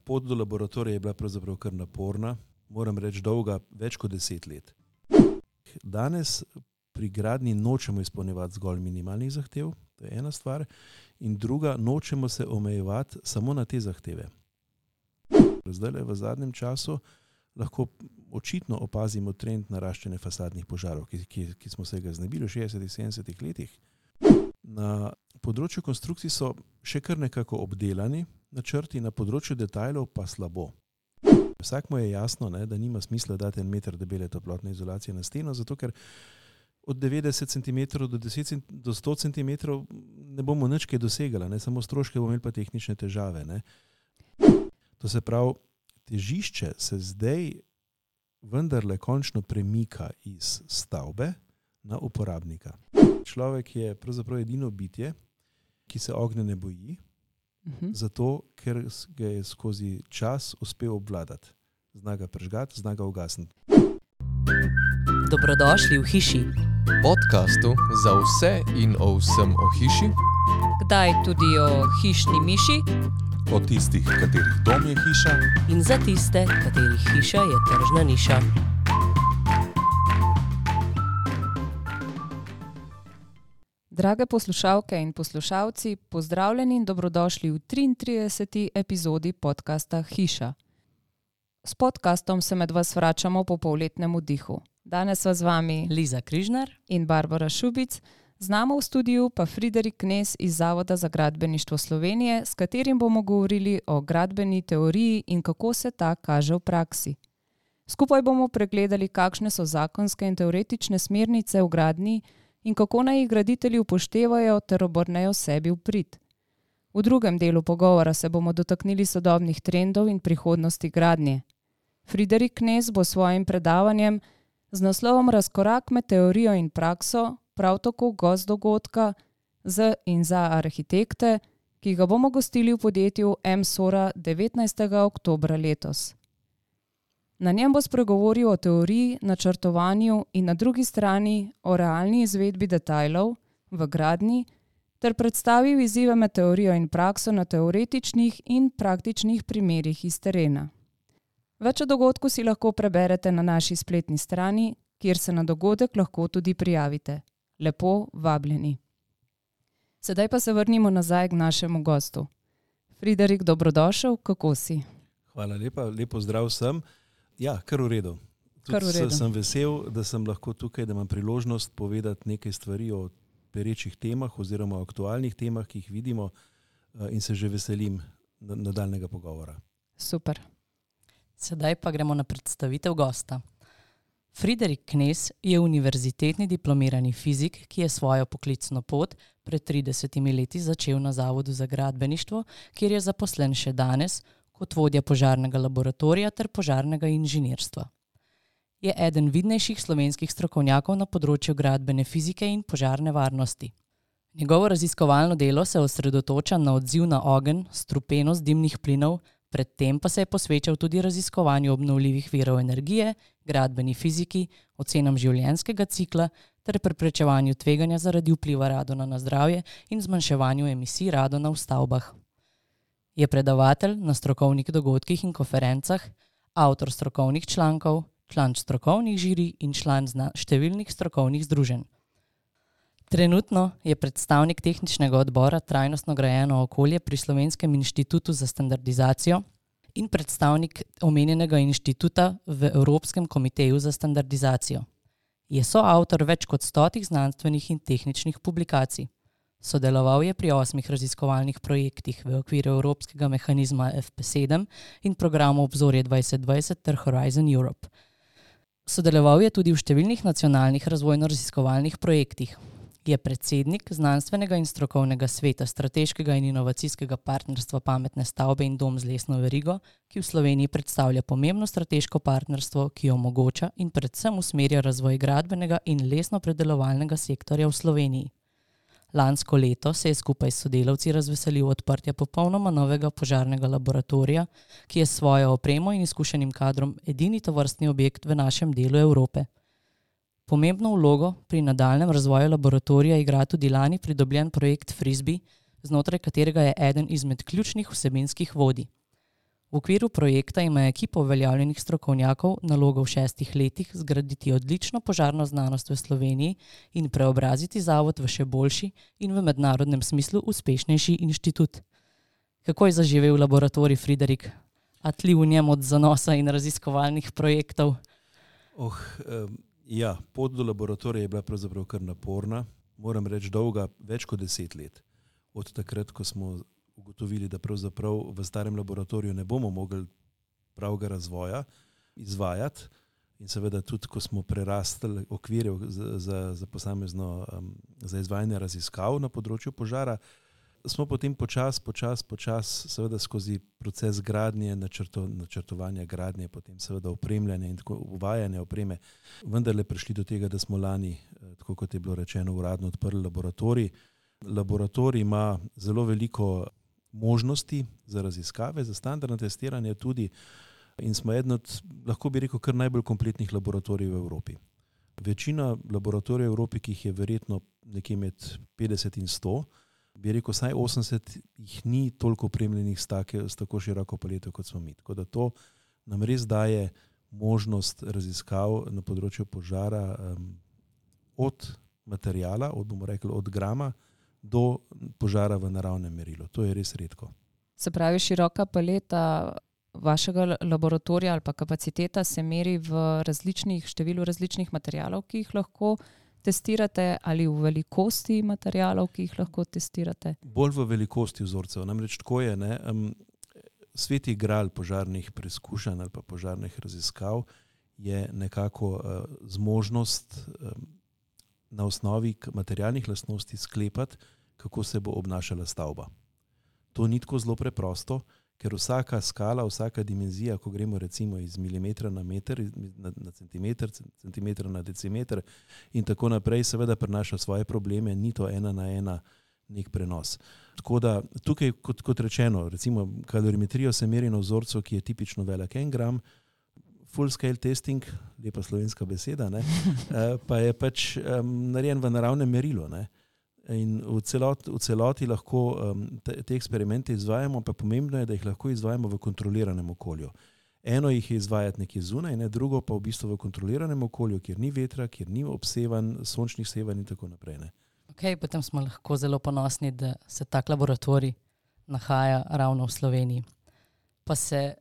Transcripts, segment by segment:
pot do laboratorija je bila pravzaprav kar naporna, moram reči dolga, več kot 10 let. Danes pri gradnji nočemo izpolnjevati zgolj minimalnih zahtev, to je ena stvar, in druga, nočemo se omejevati samo na te zahteve. Zdaj v zadnjem času lahko očitno opazimo trend naraščanja fasadnih požarov, ki smo se ga znebili v 60-70 letih. Na področju konstrukcij so še kar nekako obdelani načrti, na področju detajlov pa slabo. Vsakmu je jasno, da nima smisla dati 1 meter debele toplotne izolacije na steno, zato ker od 90 cm do 100 cm ne bomo nič kaj dosegali, samo stroške bomo imeli pa tehnične težave. To se pravi, težišče se zdaj vendarle končno premika iz stavbe na uporabnika. Človek je pravzaprav edino bitje, ki se ognja ne boji, zato ker ga je skozi čas uspel obvladati. Zna ga prežgati, zna ga ugasniti. Dobrodošli v hiši. Podcastu za vse in o vsem o hiši. Kdaj tudi o hišni miši. O tistih, katerih dom je hiša. In za tiste, katerih hiša je tržna niša. Drage poslušalke in poslušalci, pozdravljeni in dobrodošli v 33. epizodi podcasta Hiša. S podcastom se med vas vračamo po polletnem oddihu. Danes sva z vami Liza Križnar in Barbara Šubic, z nami v studiu pa Friderik Knez iz Zavoda za gradbeništvo Slovenije, s katerim bomo govorili o gradbeni teoriji in kako se ta kaže v praksi. Skupaj bomo pregledali, kakšne so zakonske in teoretične smernice v gradnji in kako naj jih graditelji upoštevajo ter obrnejo sebi v prid. V drugem delu pogovora se bomo dotaknili sodobnih trendov in prihodnosti gradnje. Friderik Knez bo svojim predavanjem z naslovom Razkorak med teorijo in prakso, prav tako gost dogodka z in za arhitekte, ki ga bomo gostili v podjetju M-Sora 19. oktobra letos. Na njem bo spregovoril o teoriji, načrtovanju in na drugi strani o realni izvedbi detajlov v gradnji ter predstavil izzive med teorijo in prakso na teoretičnih in praktičnih primerih iz terena. Več o dogodku si lahko preberete na naši spletni strani, kjer se na dogodek lahko tudi prijavite. Lepo vabljeni. Sedaj pa se vrnimo nazaj k našemu gostu. Friderik, dobrodošel, kako si? Hvala lepa, lepo zdrav sem. Ja, kar v redu. Sem vesel, da sem lahko tukaj, da imam priložnost povedati nekaj stvari o perečih temah oziroma o aktualnih temah, ki jih vidimo in se že veselim nadaljnega pogovora. Super. Sedaj pa gremo na predstavitev gosta. Friderik Knez je univerzitetni diplomirani fizik, ki je svojo poklicno pot pred 30 leti začel na Zavodu za gradbeništvo, kjer je zaposlen še danes kot vodja požarnega laboratorija ter požarnega inženirstva. Je eden vidnejših slovenskih strokovnjakov na področju gradbene fizike in požarne varnosti. Njegovo raziskovalno delo se osredotoča na odziv na ogenj, strupenost dimnih plinov, predtem pa se je posvečal tudi raziskovanju obnovljivih virov energije, gradbeni fiziki, ocenam življenjskega cikla ter preprečevanju tveganja zaradi vpliva radona na zdravje in zmanjševanju emisij radona v stavbah. Je predavatelj na strokovnih dogodkih in konferencah, avtor strokovnih člankov, član strokovnih žirij in član številnih strokovnih združenj. Trenutno je predstavnik tehničnega odbora Trajnostno grajeno okolje pri Slovenskem inštitutu za standardizacijo in predstavnik omenjenega inštituta v Evropskem komiteju za standardizacijo. Je soavtor več kot 100 znanstvenih in tehničnih publikacij. Sodeloval je pri 8 raziskovalnih projektih v okviru Evropskega mehanizma FP7 in programu Obzorje 2020 ter Horizon Europe. Sodeloval je tudi v številnih nacionalnih razvojno-raziskovalnih projektih. Je predsednik znanstvenega in strokovnega sveta strateškega in inovacijskega partnerstva Pametne stavbe in dom z lesno verigo, ki v Sloveniji predstavlja pomembno strateško partnerstvo, ki omogoča in predvsem usmerja razvoj gradbenega in lesno-predelovalnega sektorja v Sloveniji. Lansko leto se je skupaj s sodelavci razveselil odprtja popolnoma novega požarnega laboratorija, ki je s svojo opremo in izkušenim kadrom edini tovrstni objekt v našem delu Evrope. Pomembno vlogo pri nadaljnjem razvoju laboratorija igra tudi lani pridobljen projekt Frisbee, znotraj katerega je eden izmed ključnih vsebinskih vodij. V okviru projekta ima ekipa uveljavljenih strokovnjakov nalogo v 6 letih zgraditi odlično požarno znanost v Sloveniji in preobraziti zavod v še boljši in v mednarodnem smislu uspešnejši inštitut. Kako je zaživel laboratorij Friderik? A tli v njem od zanosa in raziskovalnih projektov? Ja, pot do laboratorija je bila pravzaprav kar naporna. Moram reči, dolga več kot 10 let. Od takrat, ko smo ugotovili, da pravzaprav v starem laboratoriju ne bomo mogli pravega razvoja izvajati in seveda tudi, ko smo prerastli okvire za posamezno za izvajanje raziskav na področju požara, smo potem počas, seveda skozi proces gradnje, načrtovanja gradnje, potem seveda opremljanja in tako uvajanja opreme, vendarle prišli do tega, da smo lani, tako kot je bilo rečeno, uradno odprli laboratorij. Laboratorij ima zelo veliko možnosti za raziskave, za standardno testiranje tudi in smo eden od, lahko bi rekel, kar najbolj kompletnih laboratorijev v Evropi. Večina laboratorijev v Evropi, ki jih je verjetno nekje med 50 in 100, bi rekel, vsaj 80 jih ni toliko opremljenih s tako široko paleto, kot smo mi. Tako da to nam res daje možnost raziskav na področju požara od materijala, bomo rekli, od grama do požara v naravnem merilu. To je res redko. Se pravi, široka paleta vašega laboratorija ali pa kapaciteta se meri v številu različnih materijalov, ki jih lahko testirate, ali v velikosti materijalov, ki jih lahko testirate? Bolj v velikosti vzorcev. Namreč tako je, sveti gral požarnih preizkušanj ali pa požarnih raziskav je nekako zmožnost na osnovi materialnih lastnosti sklepati, kako se bo obnašala stavba. To ni tako zelo preprosto, ker vsaka skala, vsaka dimenzija, ko gremo recimo iz milimetra na meter, na centimeter, centimetra na decimeter in tako naprej, seveda prinaša svoje probleme, ni to 1:1 nek prenos. Tako da tukaj, kot rečeno, recimo kalorimetrijo se meri na vzorcu, ki je tipično velik 1 gram, full scale testing, lepa slovenska beseda, pa je pač narejen v naravnem merilu. In v celoti lahko te eksperimente izvajamo, pa pomembno je, da jih lahko izvajamo v kontroliranem okolju. Eno jih je izvajati nekje zunaj, drugo pa v bistvu v kontroliranem okolju, kjer ni vetra, kjer ni obsevan, sončnih sevanj in tako naprej. Potem smo lahko zelo ponosni, da se tak laboratorij nahaja ravno v Sloveniji. Pa se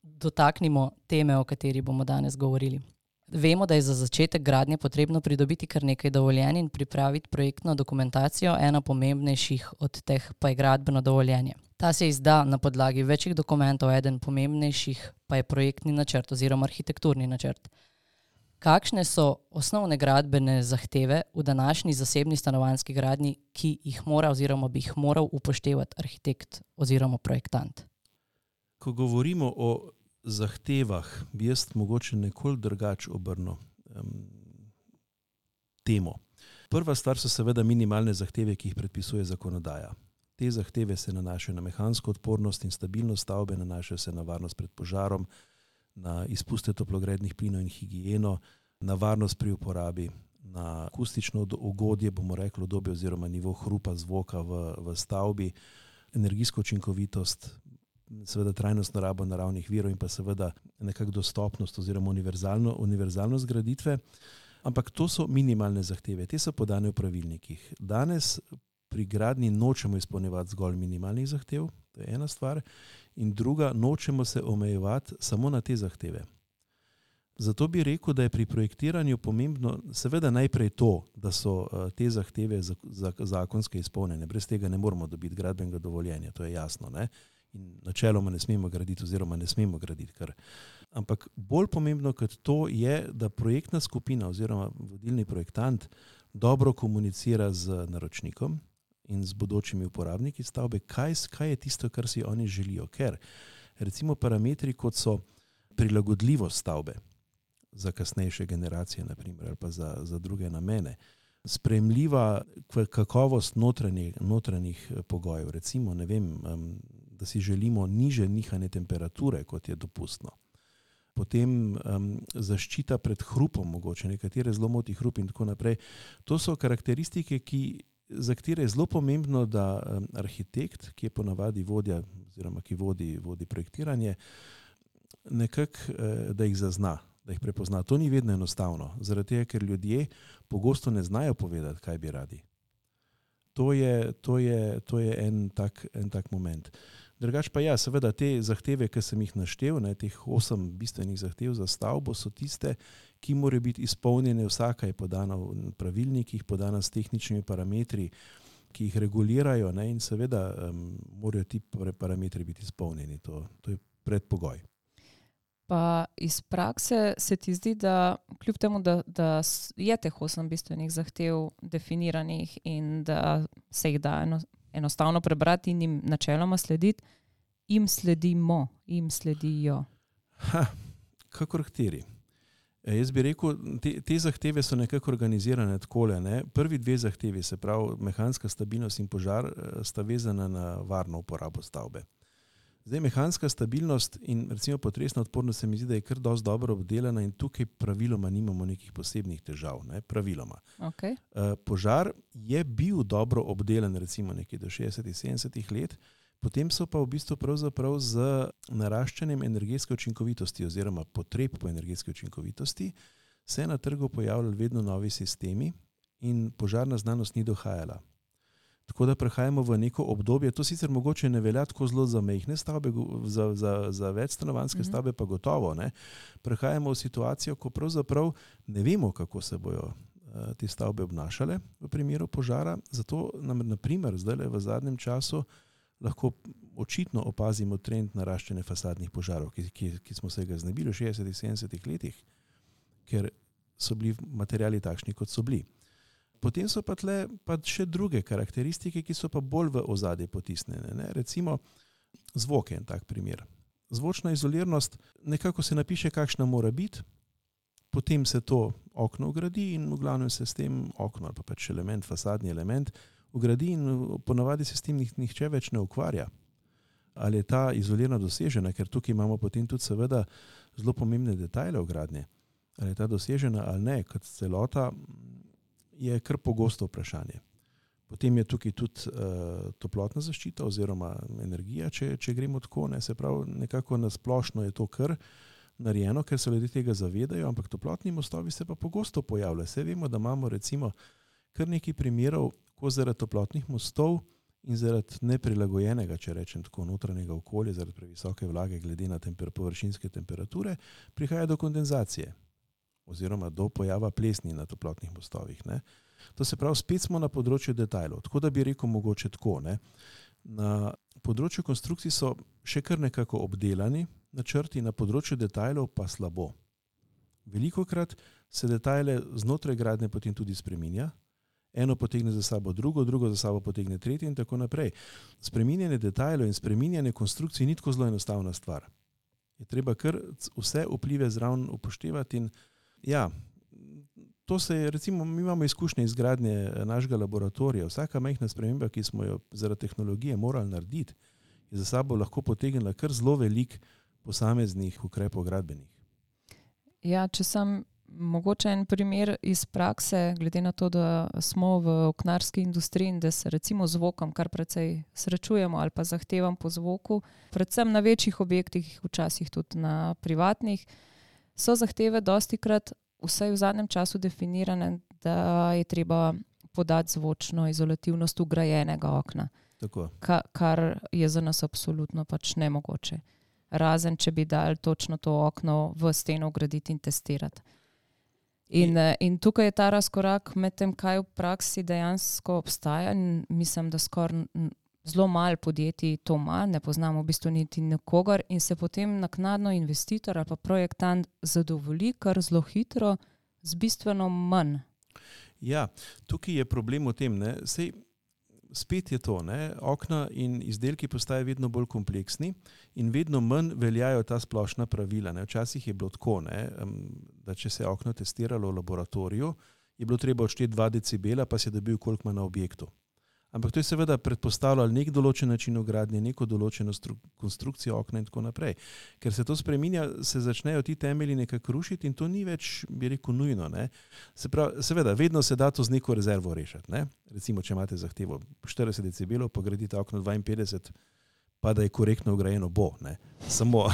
dotaknimo teme, o kateri bomo danes govorili. Vemo, da je za začetek gradnje potrebno pridobiti kar nekaj dovoljenj in pripraviti projektno dokumentacijo, ena pomembnejših od teh pa je gradbeno dovoljenje. Ta se izda na podlagi večjih dokumentov, eden pomembnejših pa je projektni načrt oziroma arhitekturni načrt. Kakšne so osnovne gradbene zahteve v današnji zasebni stanovanjski gradnji, ki jih mora oziroma bi jih moral upoštevati arhitekt oziroma projektant? Ko govorimo o zahtevah, bi jaz mogoče nekoliko drugače obrnil temo. Prva stvar so seveda minimalne zahteve, ki jih predpisuje zakonodaja. Te zahteve se nanašajo na mehansko odpornost in stabilnost stavbe, nanašajo se na varnost pred požarom, na izpuste toplogrednih plinov in higieno, na varnost pri uporabi, na akustično ugodje, bomo rekli, udobje oziroma nivo hrupa, zvoka v stavbi, energijsko učinkovitost, seveda trajnostno rabo naravnih virov in pa seveda nekako dostopnost oziroma univerzalnost graditve. Ampak to so minimalne zahteve, te so podane v pravilnikih. Danes pri gradnji nočemo izpolnjevati zgolj minimalnih zahtev, to je ena stvar, in druga, nočemo se omejevati samo na te zahteve. Zato bi rekel, da je pri projektiranju pomembno seveda najprej to, da so te zahteve zakonske izpolnjene. Brez tega ne moramo dobiti gradbenega dovoljenja, to je jasno, In načeloma ne smemo graditi oziroma ne smemo graditi kar. Ampak bolj pomembno kot to je, da projektna skupina oziroma vodilni projektant dobro komunicira z naročnikom in z bodočimi uporabniki stavbe, kaj je tisto, kar si oni želijo. Ker recimo parametri, kot so prilagodljivost stavbe za kasnejše generacije, naprimer, ali pa za druge namene, sprejemljiva kakovost notranjih pogojev, recimo, da si želimo niže nihanje temperature, kot je dopustno. Potem zaščita pred hrupom, mogoče nekatere zelo moti hrup in tako naprej. To so karakteristike, ki za katere je zelo pomembno, da arhitekt, ki je ponavadi vodja oziroma ki vodi projektiranje, nekako, da jih zazna, da jih prepozna. To ni vedno enostavno, zaradi tega, ker ljudje pogosto ne znajo povedati, kaj bi radi. To je en tak moment. Drugač pa ja, seveda te zahteve, ki sem jih naštel, teh 8 bistvenih zahtev za stavbo, so tiste, ki morajo biti izpolnjene, vsaka je podana v pravilnikih, podana s tehničnimi parametri, ki jih regulirajo, in seveda morajo ti parametri biti izpolnjeni. To je predpogoj. Pa iz prakse se ti zdi, da kljub temu, da je teh 8 bistvenih zahtev definiranih in da se jih da enostavno prebrati in jim načeloma slediti, jim sledijo. Kakor kateri. Jaz bi rekel, te zahteve so nekako organizirane takole. Prvi 2 zahtevi, se pravi mehanska stabilnost in požar, sta vezana na varno uporabo stavbe. Zdaj, mehanska stabilnost in recimo potresna odpornost se mi zdi, da je kar dosti dobro obdelana in tukaj praviloma nimamo nekih posebnih težav. Praviloma. Okay. Požar je bil dobro obdelan recimo nekje do 60-70 let, potem so pa v bistvu pravzaprav z naraščanjem energetske učinkovitosti oziroma potreb po energetske učinkovitosti se na trgu pojavljali vedno novi sistemi in požarna znanost ni dohajala. Tako da prehajamo v neko obdobje, to sicer mogoče ne velja tako zelo za majhne stavbe, za večstanovanjske stavbe pa gotovo. Prehajamo v situacijo, ko pravzaprav ne vemo, kako se bojo te stavbe obnašale v primeru požara. Zato nam na primer zdaj v zadnjem času lahko očitno opazimo trend naraščanja fasadnih požarov, ki smo se ga znebili v 60-70 letih, ker so bili materiali takšni, kot so bili. Potem so pa tle še druge karakteristike, ki so pa bolj v ozadje potisnjene. Recimo zvok je en tak primer. Zvočna izoliranost, nekako se napiše, kakšna mora biti, potem se to okno vgradi in v glavnem se s tem okno ali pa pač element, fasadni element vgradi in ponavadi se s tem nihče več ne ukvarja. Ali je ta izolirana dosežena, ker tukaj imamo potem tudi seveda zelo pomembne detajle vgradnje. Ali je ta dosežena ali ne, kot celota, je kar pogosto vprašanje. Potem je tukaj tudi toplotna zaščita oziroma energija, če gremo tako, se pravi, nekako nasplošno je to kar narejeno, ker se ljudje tega zavedajo, ampak toplotni mostovi se pa pogosto pojavljajo. Vse vemo, da imamo recimo kar nekaj primerov, ko zaradi toplotnih mostov in zaradi neprilagojenega, če rečem tako, notranjega okolja, zaradi previsoke vlage glede na površinske temperature, prihaja do kondenzacije oziroma do pojava plesni na toplotnih mostovih. To se pravi, spet smo na področju detajlov. Tako da bi rekel mogoče tako. Na področju konstrukcij so še kar nekako obdelani načrti, na področju detajlov pa slabo. Velikokrat se detajle znotraj gradnje potem tudi spreminja. Eno potegne za sabo drugo za sabo potegne tretje in tako naprej. Spreminjanje detajlov in spreminjanje konstrukcij ni tako zelo enostavna stvar. Je treba kar vse vplive zraven upoštevati in ja, to se je, recimo, mi imamo izkušnje izgradnje našega laboratorija. Vsaka majhna sprememba, ki smo jo zaradi tehnologije morali narediti, je za sabo lahko potegnila kar zelo velik posameznih ukrepov gradbenih. Ja, če sem mogoče en primer iz prakse, glede na to, da smo v oknarski industriji in da se recimo zvokom kar precej srečujemo ali pa zahtevam po zvoku, predvsem na večjih objektih, včasih tudi na privatnih, so zahteve dostikrat, vsaj v zadnjem času definirane, da je treba podati zvočno izolativnost vgrajenega okna. Tako. Kar je za nas absolutno pač nemogoče. Razen, če bi dali točno to okno v steno vgraditi in testirati. In tukaj je ta razkorak med tem, kaj v praksi dejansko obstaja. In mislim, da skoraj zelo malo podjetij to ima, ne poznamo v bistvu niti nikogar in se potem naknadno investitor ali pa projektant zadovolji kar zelo hitro z bistveno manj. Ja, tukaj je problem v tem, sej spet je to, okna in izdelki postajajo vedno bolj kompleksni in vedno manj veljajo ta splošna pravila. Včasih je bilo tako, da če se je okno testiralo v laboratoriju, je bilo treba odšteti 2 decibela, pa se je dobil koliko ima na objektu. Ampak to je seveda predpostavljalo nek določen način gradnje, neko določeno konstrukcijo okna in tako naprej. Ker se to spreminja, se začnejo ti temelji nekako rušiti in to ni več, bi rekel, nujno. Ne? Seveda, vedno se da to z neko rezervo rešiti. Ne? Recimo, če imate zahtevo 40 decibelov, pa gradite okno 52, pa da je korektno vgrajeno, bo. Ne? Samo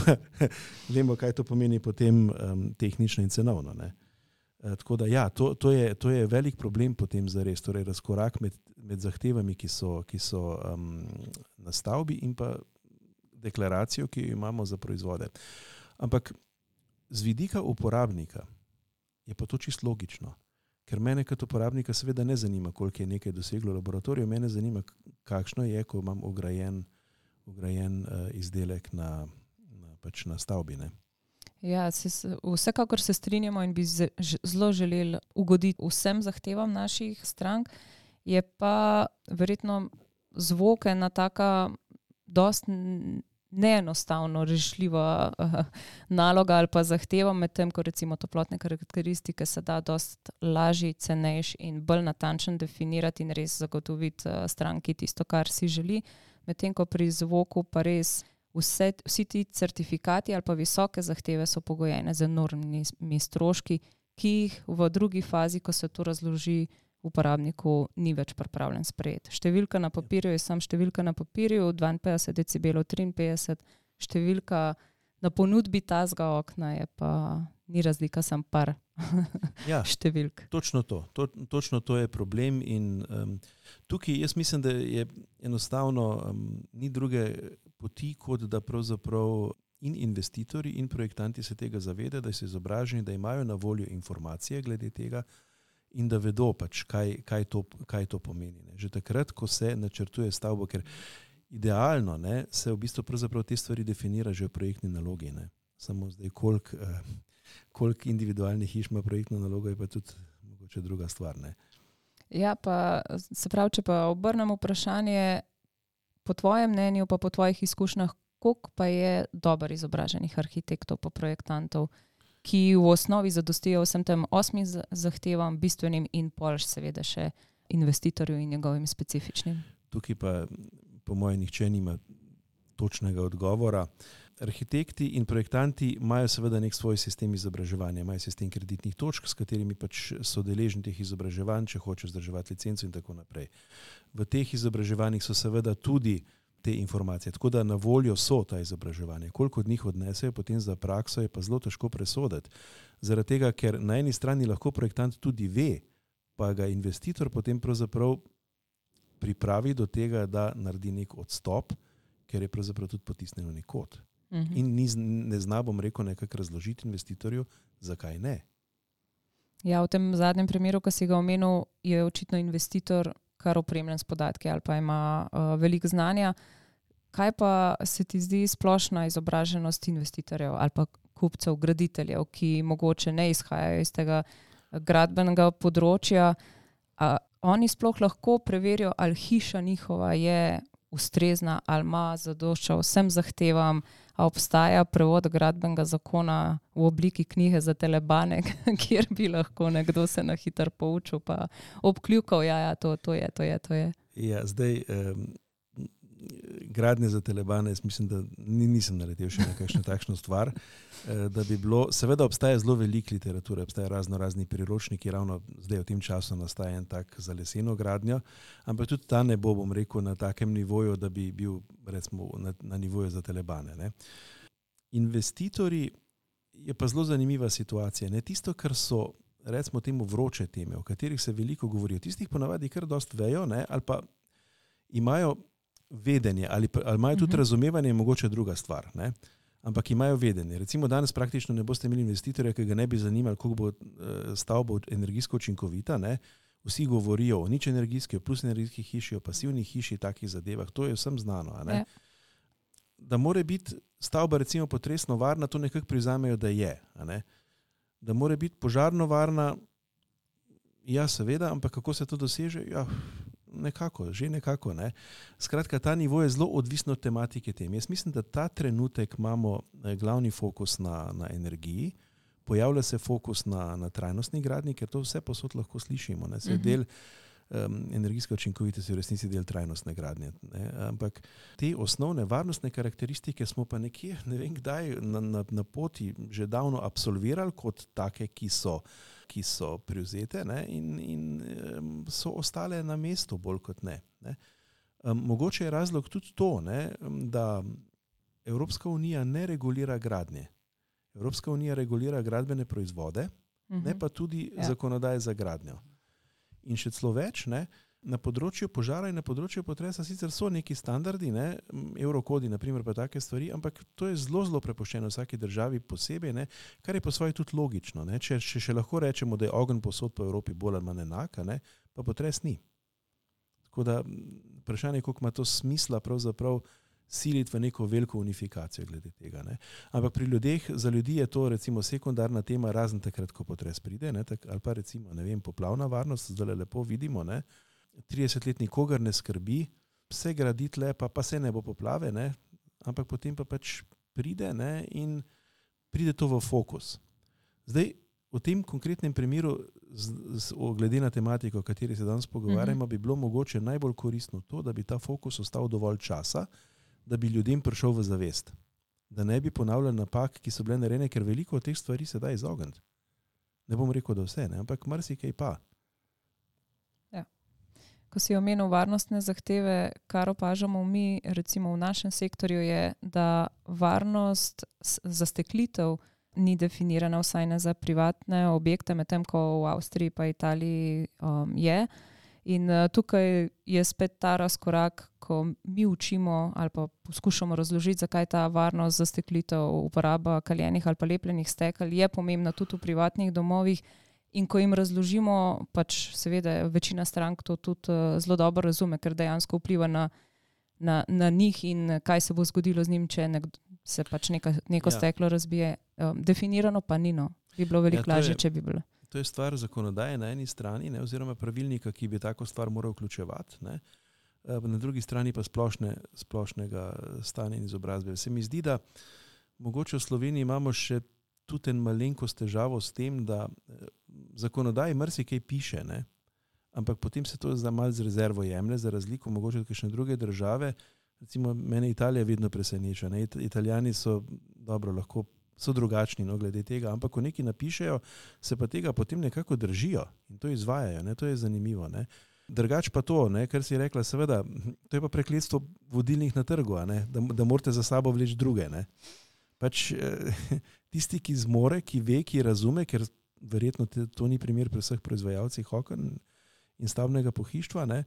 vemo, kaj to pomeni potem tehnično in cenovno. Ne? Tako da ja, to je velik problem potem zares, torej razkorak med zahtevami, ki so na stavbi in pa deklaracijo, ki jo imamo za proizvode. Ampak z vidika uporabnika je pa to čisto logično, ker mene kot uporabnika seveda ne zanima, koliko je nekaj doseglo v laboratoriju, mene zanima, kakšno je, ko imam ograjen izdelek na stavbi. Ne? Ja, vsekakor se strinjamo in bi zelo želeli ugoditi vsem zahtevam naših strank, je pa verjetno zvok ena taka dosti neenostavno rešljiva naloga ali pa zahteva, medtem ko recimo toplotne karakteristike se da dosti lažje, cenejši in bolj natančno definirati in res zagotoviti stranki tisto, kar si želi, medtem ko pri zvoku pa res vsi ti certifikati ali pa visoke zahteve so pogojene z enormnimi stroški, ki jih v drugi fazi, ko se to razloži uporabniku, ni več pripravljen sprejeti. Številka na papirju je samo številka na papirju, 52 decibelov, 53, številka na ponudbi tazga okna je pa ni razlika, samo par številk. Točno to je problem in tukaj jaz mislim, da je enostavno ni druge poti, kot da pravzaprav in investitorji in projektanti se tega zavedajo, da so izobraženi, da imajo na voljo informacije glede tega in da vedo pač, kaj to pomeni. Ne. Že takrat, ko se načrtuje stavbo, ker idealno se v bistvu pravzaprav te stvari definira že v projektni nalogi. Ne. Samo zdaj, koliko individualnih hiš ima projektno nalogo, je pa tudi mogoče druga stvar. Ne. Ja, pa se pravi, če pa obrnem vprašanje, po tvojem mnenju, pa po tvojih izkušnjah, koliko pa je dobro izobraženih arhitektov pa projektantov, ki v osnovi zadostijo vsem tem 8 zahtevam, bistvenim in pol seveda še investitorju in njegovim specifičnim? Tukaj pa po mojem nihče nima točnega odgovora. Arhitekti in projektanti imajo seveda nek svoj sistem izobraževanja, imajo sistem kreditnih točk, s katerimi pač so deležni teh izobraževanj, če hočejo vzdrževati licenco in tako naprej. V teh izobraževanjih so seveda tudi te informacije, tako da na voljo so ta izobraževanja. Koliko od njih odnesejo potem za prakso, je pa zelo težko presoditi. Zaradi tega, ker na eni strani lahko projektant tudi ve, pa ga investitor potem pravzaprav pripravi do tega, da naredi nek odstop, ker je pravzaprav tudi potisnjen v nek kot. In ne zna, bom rekel, nekako razložiti investitorju, zakaj ne. Ja, v tem zadnjem primeru, ko si ga omenil, je očitno investitor kar opremljen s podatki ali pa ima veliko znanja. Kaj pa se ti zdi splošna izobraženost investitorjev ali pa kupcev, graditeljev, ki mogoče ne izhajajo iz tega gradbenega področja? Oni sploh lahko preverijo, ali hiša njihova je ustrezna, ali ima zadošča vsem zahtevam, a obstaja prevod gradbenega zakona v obliki knjige za telebane, kjer bi lahko nekdo se na hitro poučil pa obkljukal, to je. Ja, zdaj, gradnje za telebane, jaz mislim, da nisem naletel še na kakšno takšno stvar, da bi bilo, seveda obstaja zelo veliko literature, obstaja razni priročniki, ravno zdaj v tem času nastaja en tak za leseno gradnjo, ampak tudi ta ne bo, bom rekel, na takem nivoju, da bi bil recimo na nivoju za telebane. Ne. Investitorji je pa zelo zanimiva situacija. Ne. Tisto, kar so, recimo temu vroče teme, o katerih se veliko govori, o tistih ponavadi kar dost vejo, ne, ali pa imajo vedenje, ali imajo tudi razumevanje, mogoče druga stvar, ne? Ampak imajo vedenje. Recimo danes praktično ne boste imeli investitorja, ki ga ne bi zanimali, koliko bo stavba energijsko učinkovita, ne? Vsi govorijo o nič energijski, o plus energijski hiši, o pasivni hiši, takih zadevah, to je vsem znano. A ne? Da mora biti stavba recimo potresno varna, to nekako prizamejo, da je. A ne? Da mora biti požarno varna, ja seveda, ampak kako se to doseže? Ja, nekako. Ne. Skratka, ta nivo je zelo odvisno od tematike tem. Jaz mislim, da ta trenutek imamo glavni fokus na energiji, pojavlja se fokus na trajnostni gradnji, ker to vse posod lahko slišimo. Ne. Se del energijska učinkovitost je v resnici del trajnostne gradnje. Ne? Ampak te osnovne varnostne karakteristike smo pa nekje, ne vem kdaj, na poti že davno absolvirali kot take, ki so privzete, ne? In so ostale na mestu bolj kot ne. Mogoče je razlog tudi to, ne? Da Evropska unija ne regulira gradnje. Evropska unija regulira gradbene proizvode, ne pa tudi zakonodaje za gradnjo. In še celo več, ne, na področju požara in na področju potresa sicer so neki standardi, ne, eurokodi, naprimer pa take stvari, ampak to je zelo prepuščeno vsaki državi posebej, ne, kar je po svoje tudi logično. Ne. Če še lahko rečemo, da je ogenj povsod po Evropi bolj ali manj enak, ne, pa potres ni. Tako da vprašanje, koliko ima to smisla pravzaprav siliti v neko veliko unifikacijo glede tega. Ne. Ampak pri ljudeh, za ljudi je to recimo sekundarna tema, razen takrat, ko potres pride, ne, ali pa recimo, ne vem, poplavna varnost, zdaj lepo vidimo, ne, 30 let nikogar ne skrbi, vse gradi tle, pa se ne bo poplave, ne, ampak potem pa pač pride, ne, in pride to v fokus. Zdaj, v tem konkretnem primeru, glede na tematiko, o kateri se danes pogovarjamo, bi bilo mogoče najbolj koristno to, da bi ta fokus ostal dovolj časa, da bi ljudem prišel v zavest. Da ne bi ponavljali napak, ki so bile narejene, ker veliko od teh stvari se da izogniti. Ne bom rekel, da vse, ne, ampak marsikaj pa. Ja. Ko si omenil varnostne zahteve, kar opažamo mi, recimo v našem sektorju, je, da varnost zasteklitev ni definirana, vsaj ne za privatne objekte, medtem ko v Avstriji pa Italiji je. In tukaj je spet ta razkorak, ko mi učimo ali pa poskušamo razložiti, zakaj ta varnost zasteklitev, uporaba kaljenih ali pa lepljenih stekel je pomembna tudi v privatnih domovih. In ko jim razložimo, pač seveda večina strank to tudi zelo dobro razume, ker dejansko vpliva na njih in kaj se bo zgodilo z njim, če se pač neko steklo razbije. Definirano pa ni, no. Bi bilo veliko lažje, če bi bilo. To je stvar zakonodaje na eni strani, ne, oziroma pravilnika, ki bi tako stvar moral vključevati, ne. Na drugi strani pa splošnega stanja in izobrazbe. Se mi zdi, da mogoče v Sloveniji imamo še tudi en malenkost težavo s tem, da zakonodaji marsikaj piše, ne, ampak potem se to malo z rezervo jemlje, za razliko mogoče od kakšne druge države. Recimo mene Italija vedno preseneča, ne. Italijani so drugačni, no, glede tega, ampak ko nekaj napišejo, se pa tega potem nekako držijo in to izvajajo, ne, to je zanimivo, ne. Drugač pa to, ne, kar si rekla, seveda, to je pa prekletstvo vodilnih na trgu, ne, da morate za sabo vleči druge, ne. Pač tisti, ki zmore, ki ve, ki razume, ker verjetno to ni primer pri vseh proizvajalcih oken in stavbnega pohištva, ne,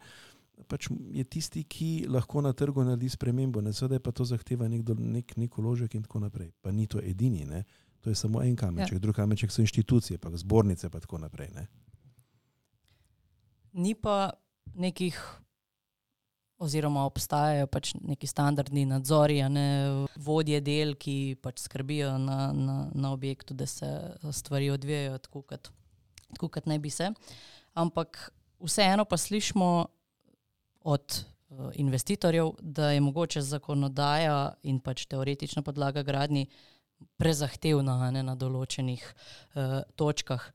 pač je tisti, ki lahko na trgu naredi spremembo, ne, seveda pa to zahteva nek vložek in tako naprej. Pa ni to edini, ne. To je samo en kamenček, drug kamenček so inštitucije, pa zbornice pa tako naprej, ne. Ni pa nekih, oziroma obstajajo pač neki standardni nadzori, ne, vodje del, ki pač skrbijo na objektu, da se stvari odvijajo tako, kot naj bi se. Ampak vseeno pa slišimo od investitorjev, da je mogoče zakonodaja in pač teoretična podlaga gradnji prezahtevna, ne, na določenih točkah.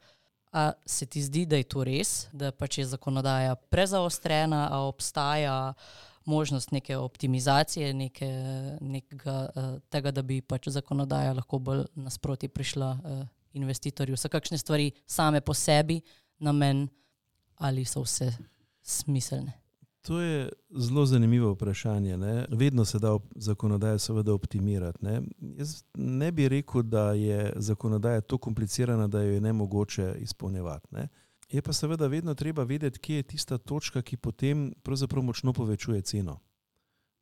A se ti zdi, da je to res, da pač je zakonodaja prezaostrena, a obstaja možnost neke optimizacije, tega, da bi pač zakonodaja lahko bolj nasproti prišla investitorju? So kakšne stvari same po sebi namen ali so vse smiselne? To je zelo zanimivo vprašanje, ne. Vedno se da zakonodajo seveda optimirati, ne. Jaz ne bi rekel, da je zakonodaja tako komplicirana, da jo je nemogoče izpolnjevati, ne. Je pa seveda vedno treba vedeti, kje je tista točka, ki potem pravzaprav močno povečuje ceno.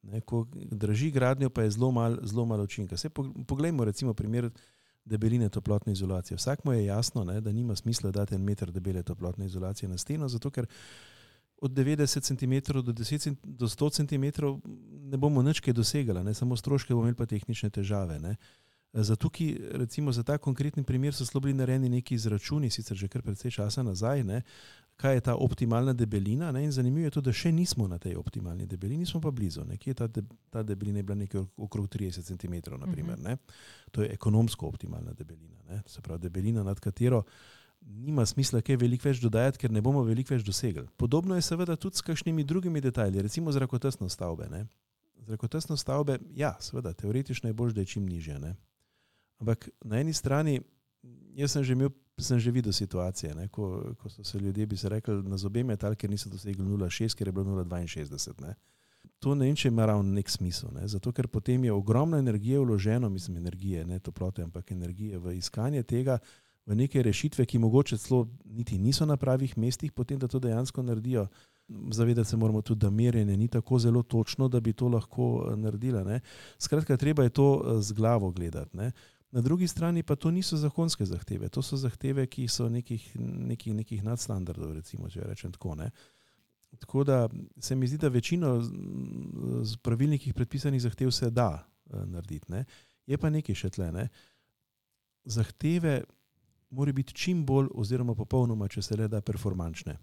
Ne, ko draži gradnjo, pa je zelo malo učinka. Poglejmo recimo primer debeline toplotne izolacije. Vsakmu je jasno, ne, da nima smisla dati 1 meter debele toplotne izolacije na steno, zato ker od 90 cm do 100 cm ne bomo nič kaj dosegali, ne, samo stroške bomo imeli pa tehnične težave, ne. Zato, recimo za ta konkretni primer so bili narejeni neki izračuni, sicer že kar precej časa nazaj, ne, kaj je ta optimalna debelina, ne, in zanimivo je to, da še nismo na tej optimalni debelini, smo pa blizu. Nekje ta debelina je bila nekaj okrog 30 cm, naprimer, ne. To je ekonomsko optimalna debelina, ne. Se pravi, debelina, nad katero nima smisla kaj veliko več dodajati, ker ne bomo veliko več dosegli. Podobno je seveda tudi s kakšnimi drugimi detajli, recimo zrakotesnost stavbe. Ne? Zrakotesnost stavbe, ja, seveda, teoretično je bolj, da je čim nižja. Ne? Ampak na eni strani, jaz sem že videl situacije, ne? Ko so se ljudje, bi se rekli, na zobe metali, ker niso dosegli 0,6, ker je bilo 0,62. Ne? To ne vem, če ima ravno nek smisel, ne? Zato ker potem je ogromno energije vloženo, mislim energije, ne toplote, ampak energije v iskanje tega, v neke rešitve, ki mogoče celo niti niso na pravih mestih, potem da to dejansko naredijo. Zavedati se moramo tudi, da merjenje ni tako zelo točno, da bi to lahko naredila. Ne? Skratka, treba je to z glavo gledati. Ne? Na drugi strani pa to niso zakonske zahteve, to so zahteve, ki so nekih nadstandardov, recimo, če rečem tako. Ne? Tako da se mi zdi, da večino z pravilnikih predpisanih zahtev se da narediti. Ne? Je pa nekaj še tle. Ne? Zahteve mora biti čim bolj oziroma popolnoma, če se le da, performančne.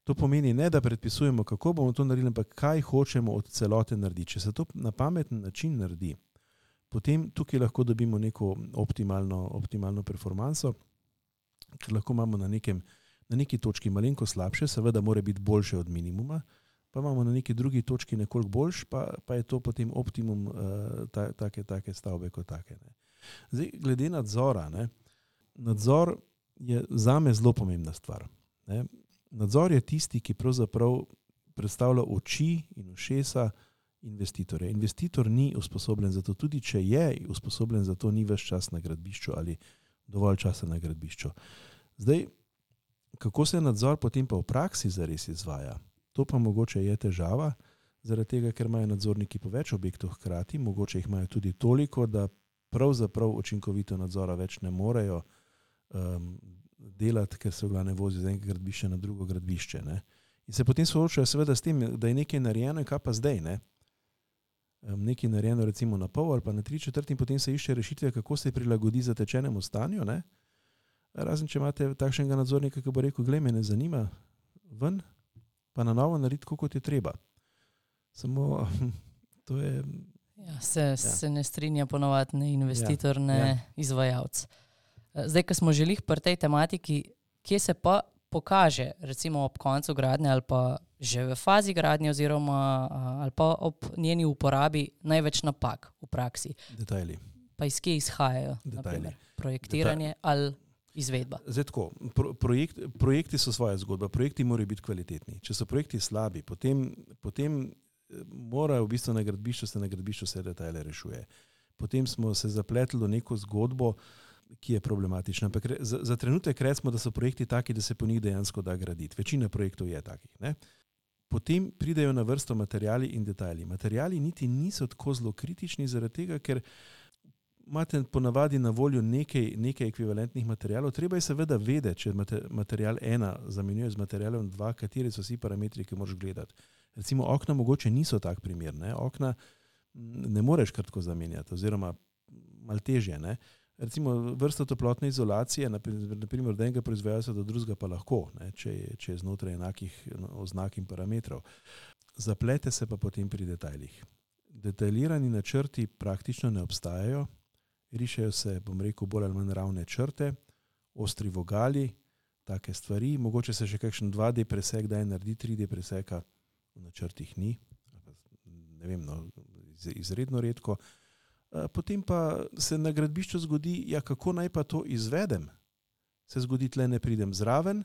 To pomeni ne, da predpisujemo, kako bomo to naredili, ampak kaj hočemo od celote narediti. Če se to na pameten način naredi, potem tukaj lahko dobimo neko optimalno performanso, ker lahko imamo na neki točki malenko slabše, seveda mora biti boljše od minimuma, pa imamo na neki drugi točki nekoliko boljš, pa je to potem optimum take stavbe kot take. Ne. Zdaj, glede nadzora, ne, nadzor je zame zelo pomembna stvar. Ne. Nadzor je tisti, ki pravzaprav predstavlja oči in ušesa investitorja. Investitor ni usposobljen za to, tudi če je usposobljen za to, ni ves čas na gradbišču ali dovolj časa na gradbišču. Zdaj, kako se nadzor potem pa v praksi zares izvaja, to pa mogoče je težava, zaradi tega, ker imajo nadzorniki po več objektov hkrati, mogoče jih imajo tudi toliko, da pravzaprav učinkovito nadzora več ne morejo delati, ker se v glavne vozi z enega gradbišča na drugo gradbišče. Ne. In se potem soočajo seveda s tem, da je nekaj narejeno in kaj pa zdaj. Ne. Nekaj narejeno recimo na pol ali pa na 3/4 in potem se išče rešitve, kako se prilagodi zatečenemu stanju. Ne. Razen, če imate takšnega nadzornika, ki bo rekel, glej, me ne zanima, ven, pa na novo narediti, kot je treba. Samo to je... Ja, se ne strinja ponovadi ne investitor, ne izvajalec. Zdaj, ko smo želeli pri tej tematiki, kje se pa pokaže, recimo ob koncu gradnje ali pa že v fazi gradnje oziroma ali pa ob njeni uporabi največ napak v praksi. Detajli. Pa iz kje izhajajo? Naprimer, projektiranje ali izvedba? Zdaj tako, projekti so svoja zgodba, projekti morajo biti kvalitetni. Če so projekti slabi, potem mora v bistvu na gradbišču se detajle rešuje. Potem smo se zapletli v neko zgodbo, ki je problematična. Ampak za trenutek recimo, da so projekti taki, da se po njih dejansko da graditi. Večina projektov je takih. Ne? Potem pridejo na vrsto materiali in detajli. Materiali niti niso tako zelo kritični, zaradi tega, ker imate ponavadi na voljo nekaj ekvivalentnih materialov. Treba je seveda vedeti, če material 1 zamenjuje z materialom 2, kateri so vsi parametri, ki moraš gledati. Recimo okna mogoče niso tak primer. Ne? Okna ne moreš kar tako zamenjati, oziroma malo težje. Ne? Recimo vrsta toplotne izolacije, naprimer od enega proizvajalca do drugega pa lahko, ne, če je znotraj enakih oznak in parametrov. Zaplete se pa potem pri detajlih. Detaljirani načrti praktično ne obstajajo, rišejo se, bom rekel, bolj ali manj ravne črte, ostri vogali, take stvari, mogoče se še kakšen 2D presek daj naredi, 3D preseka v načrtih ni, ne vem, no, izredno redko. Potem pa se na gradbišču zgodi, ja, kako naj pa to izvedem? Se zgodi, tle ne pridem zraven,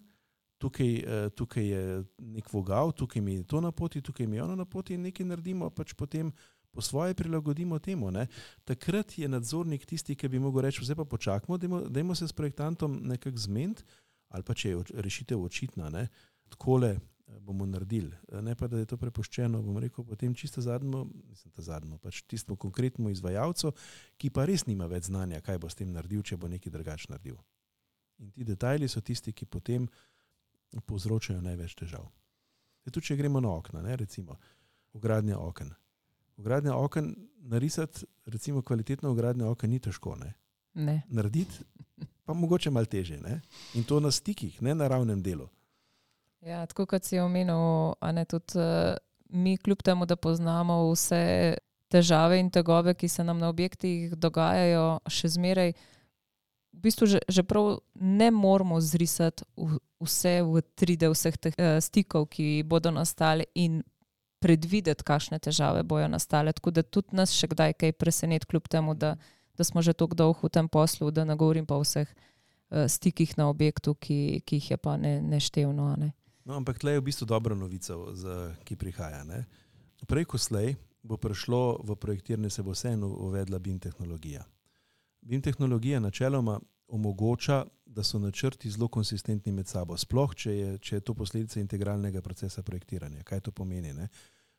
tukaj je nek vogal, tukaj mi je to na poti, tukaj mi je ono na poti in nekaj naredimo, pač potem po svoje prilagodimo temu. Ne? Takrat je nadzornik tisti, ki bi mogel reči, zdaj pa počakamo, dajmo se s projektantom nekako zmeniti, ali pa če je rešitev očitna, ne? Takole bomo naredili. Ne pa, da je to prepuščeno, bom rekel, potem čisto zadnjo, pač tisto konkretnemu izvajalcu, ki pa res nima več znanja, kaj bo s tem naredil, če bo nekaj drugače naredil. In ti detajli so tisti, ki potem povzročajo največ težav. Tudi če gremo na okna, ne, recimo, vgradnja oken. Vgradnja oken, narisati, recimo, kvalitetno vgradnja oken ni težko, ne? Ne. Narediti pa mogoče malo težje, ne? In to na stikih, ne na ravnem delu. Ja, tako kot si omenil, a ne, tudi mi kljub temu, da poznamo vse težave in tegobe, ki se nam na objektih dogajajo, še zmeraj v bistvu že prav ne moramo zrisati vse v 3D vseh teh stikov, ki bodo nastali in predvideti, kakšne težave bojo nastale. Tako da tudi nas še kdaj kaj preseneti, kljub temu, da smo že toliko dolgo v tem poslu, da ne govorim pa o vseh stikih na objektu, ki jih je pa neštevno. Ne? No, ampak tle je v bistvu dobra novica, ki prihaja. Ne? Prej ko slej bo prišlo v projektiranje, se bo vseeno uvedla BIM tehnologija. BIM tehnologija načeloma omogoča, da so načrti zelo konsistentni med sabo. Sploh, če je to posledica integralnega procesa projektiranja. Kaj to pomeni? Ne?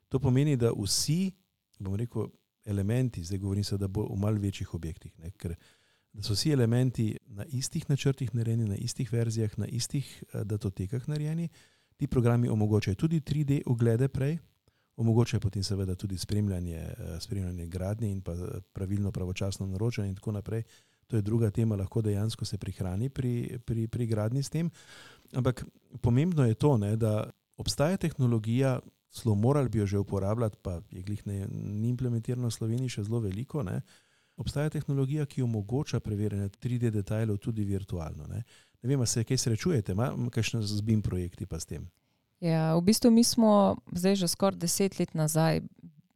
To pomeni, da vsi, bom rekel, elementi, zdaj govorim se, da bo v malo večjih objektih, ne? Ker da so vsi elementi na istih načrtih narejeni, na istih verzijah, na istih datotekah narejeni. Ti programi omogočajo tudi 3D oglede prej, omogočajo potem seveda tudi spremljanje gradnje in pa pravilno pravočasno naročanje in tako naprej. To je druga tema, lahko dejansko se prihrani pri gradnji s tem. Ampak pomembno je to, ne, da obstaja tehnologija, celo morali bi jo že uporabljati, pa je glih ni implementirano v Sloveniji še zelo veliko. Ne. Obstaja tehnologija, ki omogoča preverjanje 3D detajlov tudi virtualno. Ne vem, a se kaj srečujete, kakšne z BIM projekti pa s tem? Ja, v bistvu mi smo zdaj že skoraj 10 let nazaj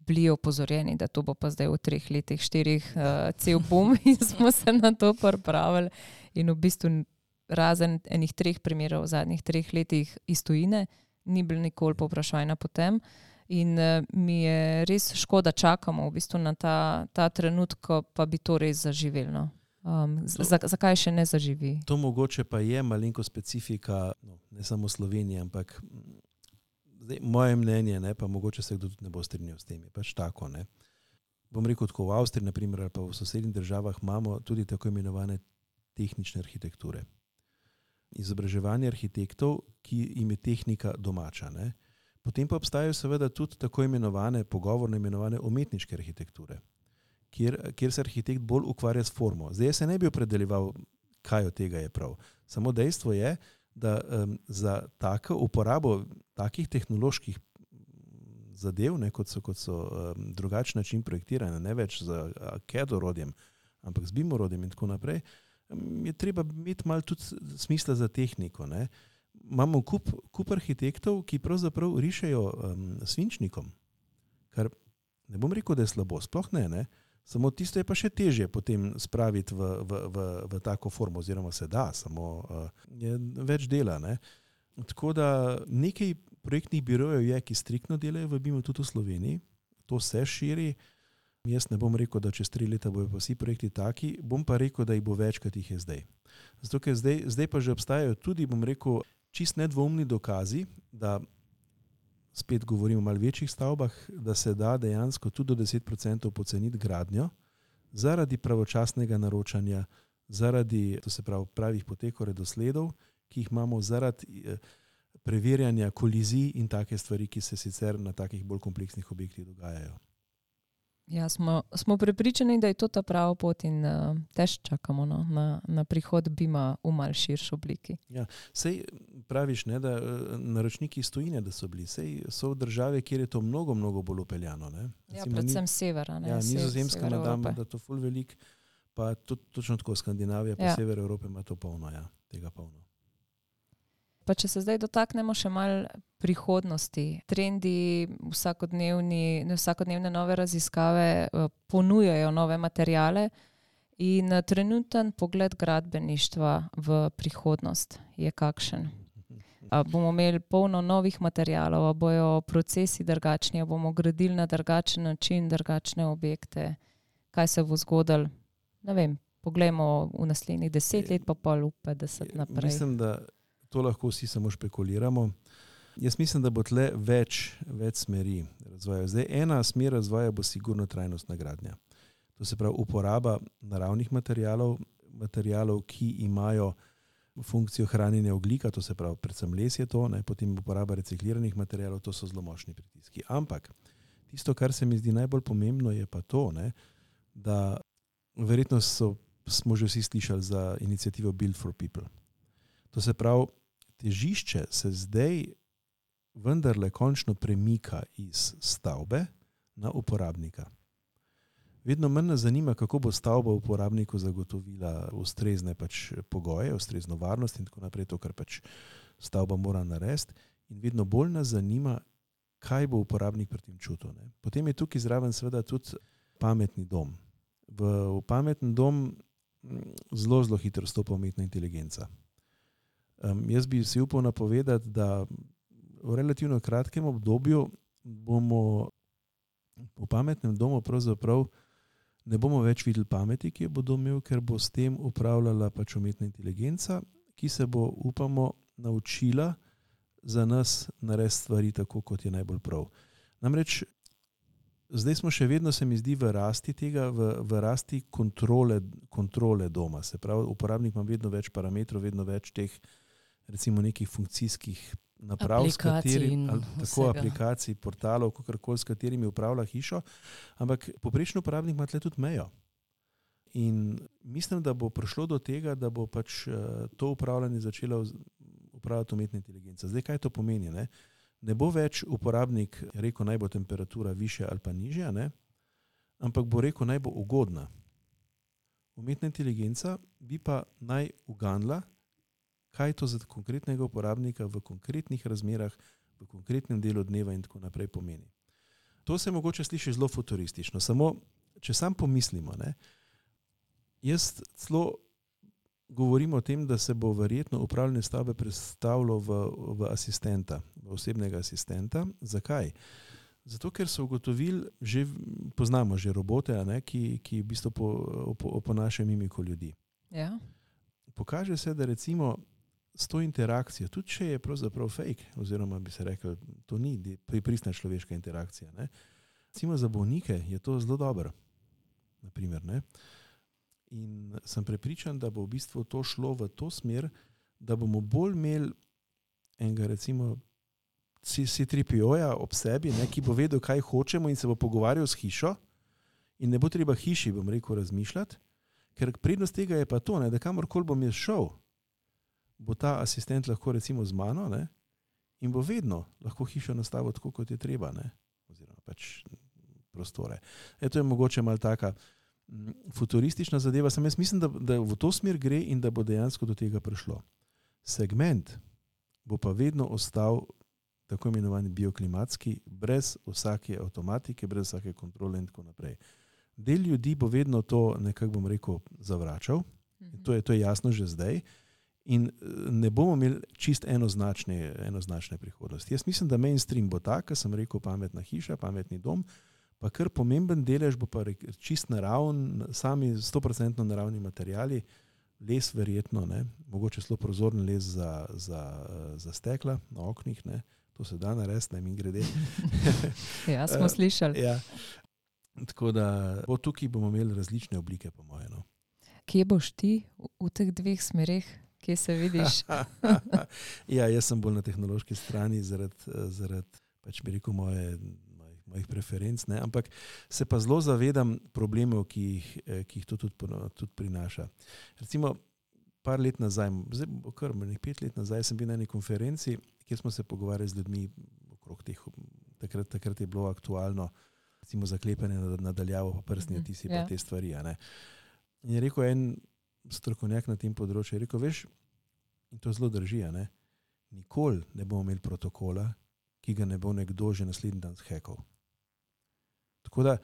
bili opozorjeni, da to bo pa zdaj v 3 letih, 4 cel boom in smo se na to pripravili. In v bistvu razen enih 3 primerov v zadnjih 3 letih iz tujine, ni bilo nikoli povprašanja po tem. In mi je res škoda, čakamo v bistvu na ta trenutek, ko pa bi to res zaživelo. Zakaj še ne zaživi? To mogoče pa je malenko specifika, ne samo Slovenije, ampak zdaj, moje mnenje, ne, pa mogoče se kdo tudi ne bo strinjal s tem, je pač tako. Ne. Bom rekel, tako v Avstriji, na primer, ali pa v sosednjih državah imamo tudi tako imenovane tehnične arhitekture. Izobraževanje arhitektov, ki jim je tehnika domača. Ne. Potem pa obstajajo seveda tudi tako imenovane, pogovorno imenovane umetniške arhitekture, kjer se arhitekt bolj ukvarja s formo. Zdaj se ne bi opredeljeval, kaj od tega je prav. Samo dejstvo je, da za tako uporabo takih tehnoloških zadev, ne, kot so drugačen način projektiranja, ne več z CAD orodjem, ampak z BIM orodjem in tako naprej, je treba imeti malo tudi smisla za tehniko. Ne. Imamo kup arhitektov, ki pravzaprav rišejo svinčnikom, kar ne bom rekel, da je slabo, sploh ne. Samo tisto je pa še težje potem spraviti v tako formo, oziroma se da, samo je več dela. Ne. Tako da nekaj projektnih birojev je, ki striktno delajo v BIM-u tudi v Sloveniji, to se širi. Jaz ne bom rekel, da čez 3 leta bojo pa vsi projekti taki, bom pa rekel, da jih bo več, kot jih je zdaj. Zato, ker zdaj pa že obstajajo tudi, bom rekel, čist nedvoumni dokazi, da spet govorimo o malo večjih stavbah, da se da dejansko tudi do 10% poceniti gradnjo zaradi pravočasnega naročanja, zaradi, to se pravi, pravih potekov redosledov, ki jih imamo, zaradi preverjanja kolizij in take stvari, ki se sicer na takih bolj kompleksnih objektih dogajajo. Ja, smo prepričani, da je to ta prava pot in tež čakamo na prihod BIM-a v malo širši obliki. Ja, sej praviš, ne, da naročniki iz tujine, da so bili, sej so v države, kjer je to mnogo, mnogo bolj upeljano. Ne. Ja, predvsem severa. Ja, Nizozemska ima da to ful velik, pa točno tako Skandinavija, pa sever Evrope ima to polno, ja, tega polno. Pa če se zdaj dotaknemo še malo prihodnosti, trendi, vsakodnevne nove raziskave ponujajo nove materijale in trenuten pogled gradbeništva v prihodnost je kakšen. Bomo imeli polno novih materijalov, bojo procesi drugačni, bomo gradili na drugačen način, drugačne objekte, kaj se bo zgodilo, ne vem, poglejmo v naslednjih 10 let, pa pol 50 naprej. Mislim, da to lahko vsi samo špekuliramo. Jaz mislim, da bo tle več smeri razvoja. Zdaj, ena smer razvoja bo sigurno trajnostna gradnja. To se pravi uporaba naravnih materijalov, ki imajo funkcijo hranjenja ogljika, to se pravi predvsem les je to, ne, potem uporaba recikliranih materijalov, to so zelo močni pritiski. Ampak tisto, kar se mi zdi najbolj pomembno, je pa to, ne, da verjetno smo že vsi slišali za inicijativo Build for People. To se pravi, težišče se zdaj vendarle končno premika iz stavbe na uporabnika. vedno manj nas zanima, kako bo stavba uporabniku zagotovila ustrezne pač pogoje, ustrezno varnost in tako naprej, to, kar pač stavba mora narediti. In vedno bolj nas zanima, kaj bo uporabnik pri tem čutil. Ne. Potem je tukaj zraven seveda tudi pametni dom. V pametni dom zelo, zelo hitro vstopa umetna inteligenca. Jaz bi si upal napovedati, da v relativno kratkem obdobju bomo v pametnem domu pravzaprav ne bomo več videli pameti, ki jo bo dom imel, ker bo s tem upravljala pač umetna inteligenca, ki se bo, upamo, naučila za nas narediti stvari tako, kot je najbolj prav. Namreč zdaj smo še vedno, se mi zdi, v rasti tega, v rasti kontrole doma. Se pravi, uporabnik ima vedno več parametrov, vedno več teh recimo nekih funkcijskih naprav, aplikacij, portalov, kakorkoli, s katerimi upravlja hišo, ampak povprečni uporabnik ima tle tudi mejo. In mislim, da bo prišlo do tega, da bo pač to upravljanje začela upravljati umetna inteligenca. Zdaj, kaj to pomeni? Ne bo več uporabnik rekel, naj bo temperatura višja ali pa nižja, ne? Ampak bo rekel, naj bo ugodna. Umetna inteligenca bi pa naj uganila, kaj to za konkretnega uporabnika v konkretnih razmerah, v konkretnem delu dneva in tako naprej pomeni. To se mogoče sliši zelo futuristično, samo če sam pomislimo, ne, jaz celo govorim o tem, da se bo verjetno upravljanje stavbe predstavilo v asistenta, v osebnega asistenta. Zakaj? Zato, ker so ugotovili, poznamo že robote, ne, ki v bistvu oponašajo mimiko ljudi. Ja. Pokaže se, da recimo s to interakcijo, tudi če je pravzaprav fake, oziroma bi se rekel, to ni pristna človeška interakcija. Ne. Recimo za bolnike je to zelo dobro. Naprimer, ne. In sem prepričan, da bo v bistvu to šlo v to smer, da bomo bolj imeli enega recimo C3PO-ja ob sebi, ne, ki bo vedel, kaj hočemo in se bo pogovarjal s hišo in ne bo treba hiši, bom rekel, razmišljati, ker prednost tega je pa to, ne, da kamorkoli bom jaz šel, bo ta asistent lahko recimo z mano, ne, in bo vedno lahko hišo nastavil tako, kot je treba, ne, oziroma pač prostore. To je mogoče malo taka futuristična zadeva, sem jaz mislim, da v to smer gre in da bo dejansko do tega prišlo. Segment bo pa vedno ostal tako imenovani bioklimatski, brez vsake avtomatike, brez vsake kontrole in tako naprej. Del ljudi bo vedno to nekako, bom rekel, zavračal, to je jasno že zdaj, in ne bomo imeli čist enoznačne prihodnosti. Jaz mislim, da mainstream bo tak, kot sem rekel, pametna hiša, pametni dom, pa kar pomemben delež bo pa čist naravn, sami 100% naravni materijali, les verjetno, ne, mogoče zelo prozorni les za stekla na oknih, ne, to se da narediti, ne, grede. Ja, smo slišali. Ja. Tako da tukaj bomo imeli različne oblike, po moje. No. Kje boš ti v teh dveh smereh? Kje se vidiš? Ja, jaz sem bolj na tehnološki strani zaradi pač bi rekel mojih preferenc, ne? Ampak se pa zelo zavedam problemov, ki jih to tudi prinaša. Recimo, par let nazaj, kar 5 let nazaj, sem bil na eni konferenci, kjer smo se pogovarjali z ljudmi okrog teh, takrat je bilo aktualno, recimo zaklepanje nadaljavo pa prstni odtisi pa te stvari. Ne? In je rekel en strokovnjak na tem področju, je rekel, veš, in to zelo drži, ne? Nikoli ne bomo imeli protokola, ki ga ne bo nekdo že naslednji dan zhekal. Tako da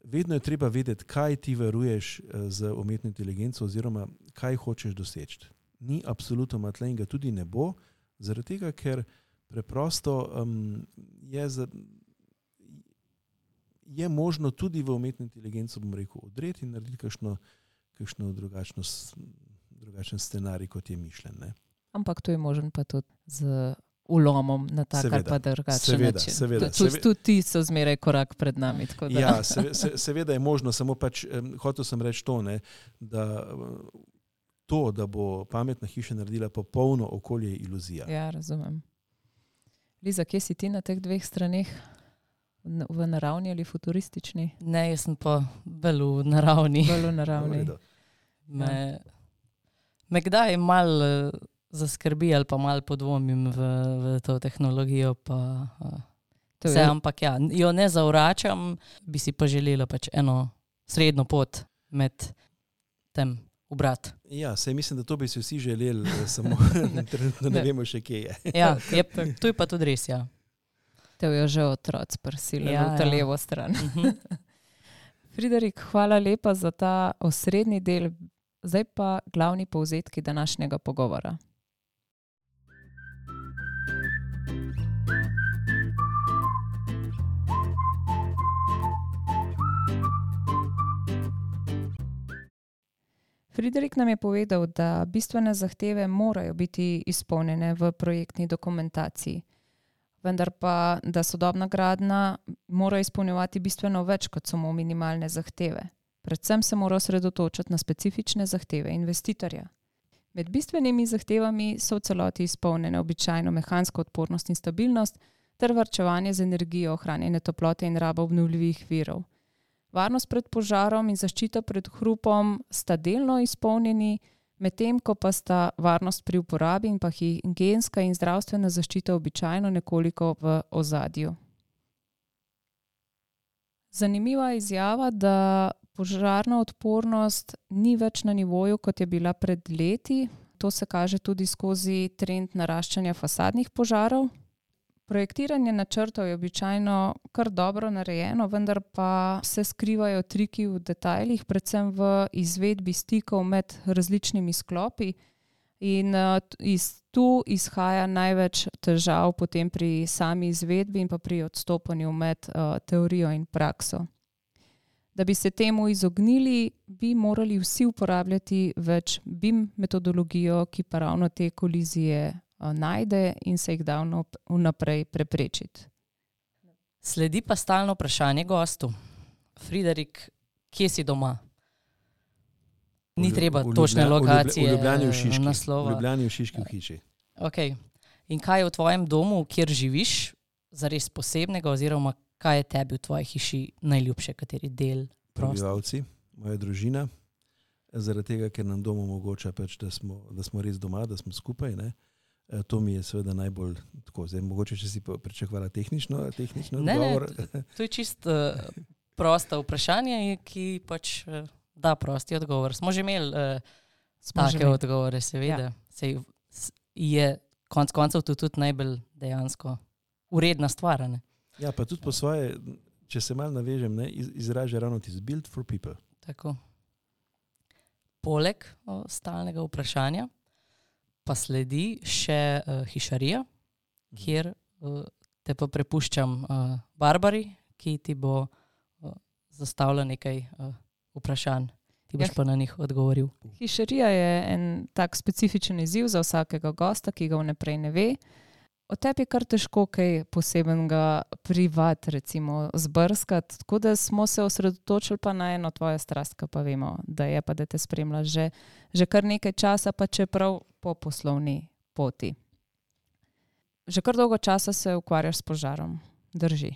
vedno je treba vedeti, kaj ti varuješ z umetno inteligenco oziroma kaj hočeš doseči. Ni absolutno tle in ga tudi ne bo, zaradi tega, ker preprosto je možno tudi v umetno inteligenco, bom rekel, odreti in narediti kakšno drugačen scenarij, kot je mišljen. Ne? Ampak to je možen pa tudi z ulomom na tak ali pa drugačen način. Seveda. Tudi ti so zmeraj korak pred nami. Tako da. Ja, seveda je možno, samo pač hotel sem reči to, ne, da bo pametna hiša naredila popolno okolje, je iluzija. Ja, razumem. Liza, kje si ti na teh dveh straneh? V naravni ali futuristični? Ne, jaz sem pa bolj v naravni. Bolj v naravni. Me kdaj malo zaskrbi ali pa malo podvomim v to tehnologijo, ampak ja, jo ne zavračam, bi si pa želela pač eno srednjo pot med tem ubrati. Ja, saj mislim, da to bi si vsi želeli, samo trenutno ne vemo še, kje je. Ja, to je pa tudi res, ja. Te je že otroc prisilil v ta levo stran. Mhm. Friderik, hvala lepa za ta osrednji del. Zdaj pa glavni povzetki današnjega pogovora. Friderik nam je povedal, da bistvene zahteve morajo biti izpolnjene v projektni dokumentaciji, vendar pa, da sodobna gradnja mora izpolnjevati bistveno več kot samo minimalne zahteve. Predvsem se mora osredotočiti na specifične zahteve investitorja. Med bistvenimi zahtevami so v celoti izpolnjene običajno mehanska odpornost in stabilnost ter varčevanje z energijo, ohranjanje toplote in raba obnovljivih virov. Varnost pred požarom in zaščita pred hrupom sta delno izpolnjeni, medtem ko pa sta varnost pri uporabi in pa higienska in zdravstvena zaščita običajno nekoliko v ozadju. Zanimiva izjava, da požarna odpornost ni več na nivoju, kot je bila pred leti. To se kaže tudi skozi trend naraščanja fasadnih požarov. Projektiranje načrtov je običajno kar dobro narejeno, vendar pa se skrivajo triki v detajlih, predvsem v izvedbi stikov med različnimi sklopi. In tu izhaja največ težav potem pri sami izvedbi in pa pri odstopanju med teorijo in prakso. Da bi se temu izognili, bi morali vsi uporabljati več BIM metodologijo, ki pa ravno te kolizije najde in se jih da vnaprej preprečiti. Sledi pa stalno vprašanje gostu. Friderik, kje si doma? Ni treba točne lokacije, v Ljubljani v Šiški. naslova. V Ljubljani v Šiški v hiši. Okay. In kaj je v tvojem domu, kjer živiš, zares posebnega, oziroma kaj je tebi v tvoji hiši najljubše, kateri del prostora? Prebivalci, moja družina, zaradi tega, ker nam dom omogoča, da smo res doma, da smo skupaj. Ne? To mi je seveda najbolj tako. Zdaj, mogoče, če si pričakovala tehnično odgovor. Ne, to je čist prosto vprašanje, ki pač da prosti odgovor. Smo že imeli take odgovore, seveda. Ja. Je konec koncev tudi najbolj dejansko uredna stvar. Ne? Ja, pa tudi po svoje, če se malo navežem, ne, izraža ravno tisto build for people. Tako. Poleg stalnega vprašanja pa sledi še hišarija, kjer te pa prepuščam Barbari, ki ti bo zastavila nekaj vprašanj. Ti boš pa na njih odgovoril. Hišarija je en tak specifičen izziv za vsakega gosta, ki ga vnaprej ne ve. O tebi je kar težko kaj posebenega privat, recimo, zbrskati, tako da smo se osredotočili pa na eno tvojo strast, ki pa vemo, da je pa, da te spremlja že kar nekaj časa, pa čeprav po poslovni poti. Že kar dolgo časa se ukvarjaš s požarom, drži?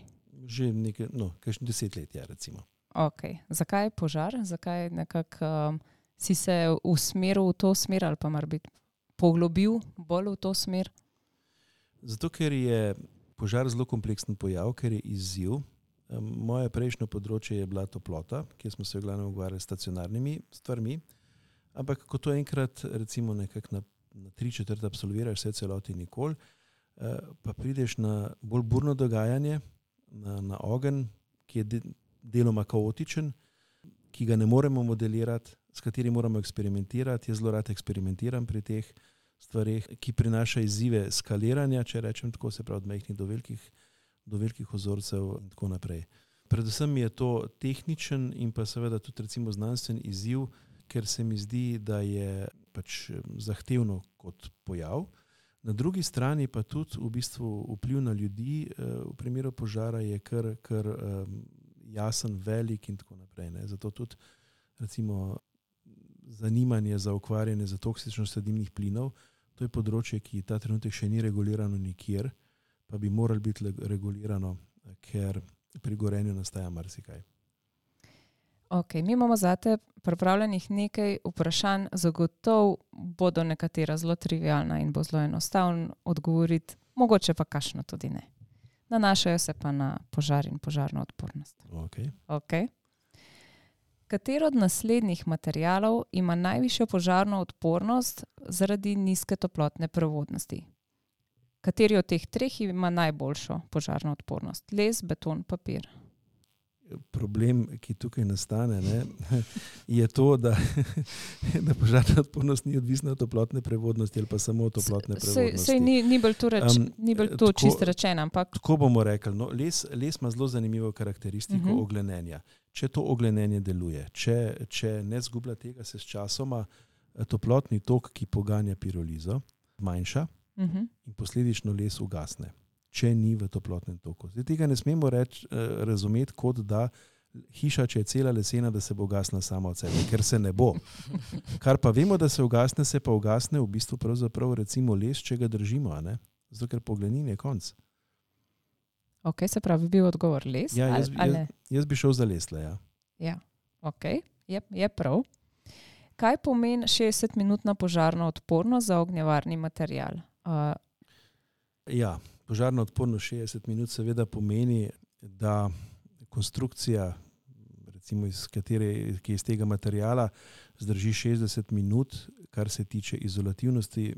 Že nekaj, kakšno 10 let, ja, recimo. Ok. Zakaj požar? Zakaj nekako si se usmeril v to smer ali pa mar biti poglobil bolj v to smer? Zato, ker je požar zelo kompleksen pojav, ker je izziv. Moje prejšnje področje je bila toplota, kjer smo se v glavnem ukvarjali s stacionarnimi stvarmi, ampak ko to enkrat recimo nekako na 3/4 absolviraš vse celoti nikoli, pa prideš na bolj burno dogajanje, na ogenj, ki je deloma kaotičen, ki ga ne moremo modelirati, s katerim moramo eksperimentirati. Jaz zelo rad eksperimentiram pri teh stvareh, ki prinaša izzive skaliranja, če rečem tako, se pravi od majhnih do velikih ozorcev in tako naprej. Predvsem je to tehničen in pa seveda tudi recimo znanstven izziv, ker se mi zdi, da je pač zahtevno kot pojav. Na drugi strani pa tudi v bistvu vpliv na ljudi v primeru požara je kar jasen, velik in tako naprej. Ne. Zato tudi recimo zanimanje za ukvarjanje za toksičnostjo dimnih plinov, to je področje, ki ta trenutek še ni regulirano nikjer, pa bi moralo biti regulirano, ker pri gorenju nastaja marsikaj. Ok, mi imamo zate pripravljenih nekaj vprašanj, zagotovo bodo nekatera zelo trivialna in bo zelo enostavno odgovoriti, mogoče pa kakšno tudi ne. Nanašajo se pa na požar in požarno odpornost. Ok. Okay. Katero od naslednjih materialov ima najvišjo požarno odpornost zaradi nizke toplotne prevodnosti? Kateri od teh treh ima najboljšo požarno odpornost? Les, beton, papir. Problem, ki tukaj nastane, je to, da požarna odpornost ni odvisna od toplotne prevodnosti ali pa samo od toplotne prevodnosti. Sej ni bolj to čisto rečeno, ampak... Tako bomo rekli. No, les ima zelo zanimivo karakteristiko oglenenja. Če to oglenenje deluje, če ne zgublja tega, se s časoma toplotni tok, ki poganja pirolizo, manjša in posledično les ugasne, če ni v toplotnem toku. Zdaj tega ne smemo razumeti kot da hiša, če je cela lesena, da se bo ugasnila sama od sebe, ker se ne bo. Kar pa vemo, da se pa ugasne v bistvu pravzaprav recimo les, če ga držimo, zato ker poglenin je konc. Ok, se pravi, bil odgovor les? Ja, jaz bi šel za lesle, Ja, ok, je prav. Kaj pomeni 60-minutna požarna odpornost za ognjevarni material? Požarna odpornost 60 minut seveda pomeni, da konstrukcija, recimo ki je iz tega materijala, zdrži 60 minut, kar se tiče izolativnosti,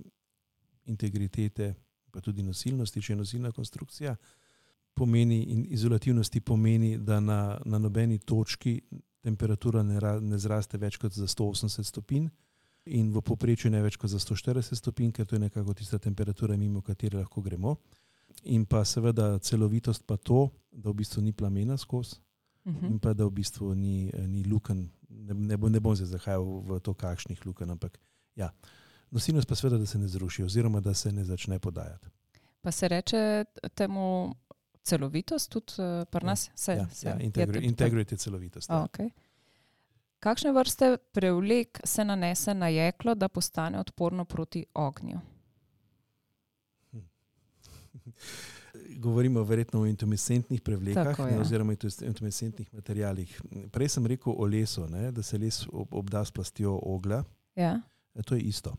integritete, pa tudi nosilnosti, če je nosilna konstrukcija. In izolativnosti pomeni, da na nobeni točki temperatura ne zraste več kot za 180 stopinj in v povprečju ne več kot za 140 stopinj, ker to je nekako tista temperatura, mimo katere lahko gremo. In pa seveda celovitost pa to, da v bistvu ni plamena skozi in pa da v bistvu ni lukenj. Ne bom se zahajal v to, kakšnih lukenj, ampak nosilnost pa seveda, da se ne zruši oziroma da se ne začne podajati. Pa se reče temu celovitost tudi pri nas? Integrity celovitost. Okay. Kakšne vrste prevlek se nanese na jeklo, da postane odporno proti ognju? Govorimo verjetno o intumescentnih prevlekah oziroma intumescentnih materialih. Prej sem rekel o lesu, da se les obda s plastjo oglja. To je isto.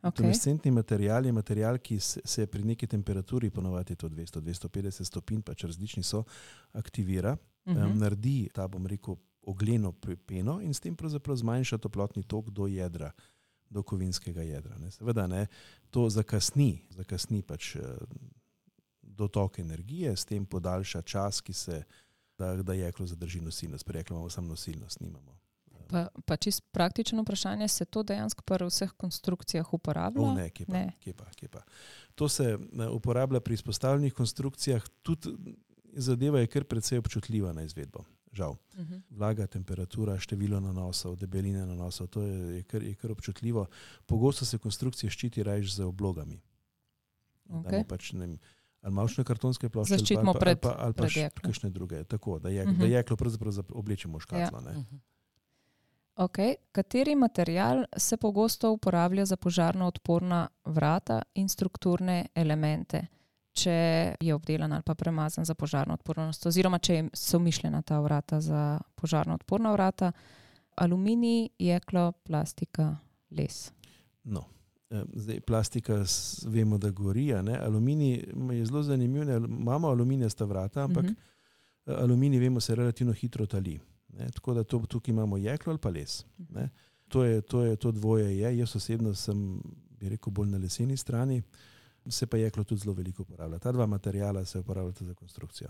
Intumescentni material je material, ki se pri neki temperaturi, ponovadi je to 200-250 stopinj, pač različni so, aktivira, naredi ta, bom rekel, ogleno peno in s tem pravzaprav zmanjša toplotni tok do jedra, do kovinskega jedra. Seveda to zakasni pač dotok energije, s tem podaljša čas, da jeklo zadrži nosilnost. Pri jeklu imamo samo nosilnost, nimamo. Pa čisto praktično vprašanje, se to dejansko pri vseh konstrukcijah uporablja? Kje pa. To se uporablja pri izpostavljenih konstrukcijah, tudi zadeva je kar precej občutljiva na izvedbo. Žal. Vlaga, temperatura, število nanosov, debeline nanosov, to je kar občutljivo. Pogosto se konstrukcije ščiti raje z oblogami. Ali mavčne kartonske plošče ali pa kakšne druge. Tako, da jeklo pravzaprav oblečemo škatlo. Kateri material se pogosto uporablja za požarno odporna vrata in strukturne elemente, če je obdelan ali pa premazan za požarno odpornost, oziroma če so mišljena ta vrata za požarno odporna vrata? Aluminij, jeklo, plastika, les. Zdaj, plastika vemo, da gori. Aluminij je zelo zanimiv. Imamo aluminijasta vrata, ampak aluminij, vemo, se relativno hitro tali. Tako da tukaj imamo jeklo ali pa les. To dvoje je. Jaz osebno sem, bi rekel, bolj na leseni strani. Se pa jeklo tudi zelo veliko uporablja. Ta dva materijala se uporabljata za konstrukcijo.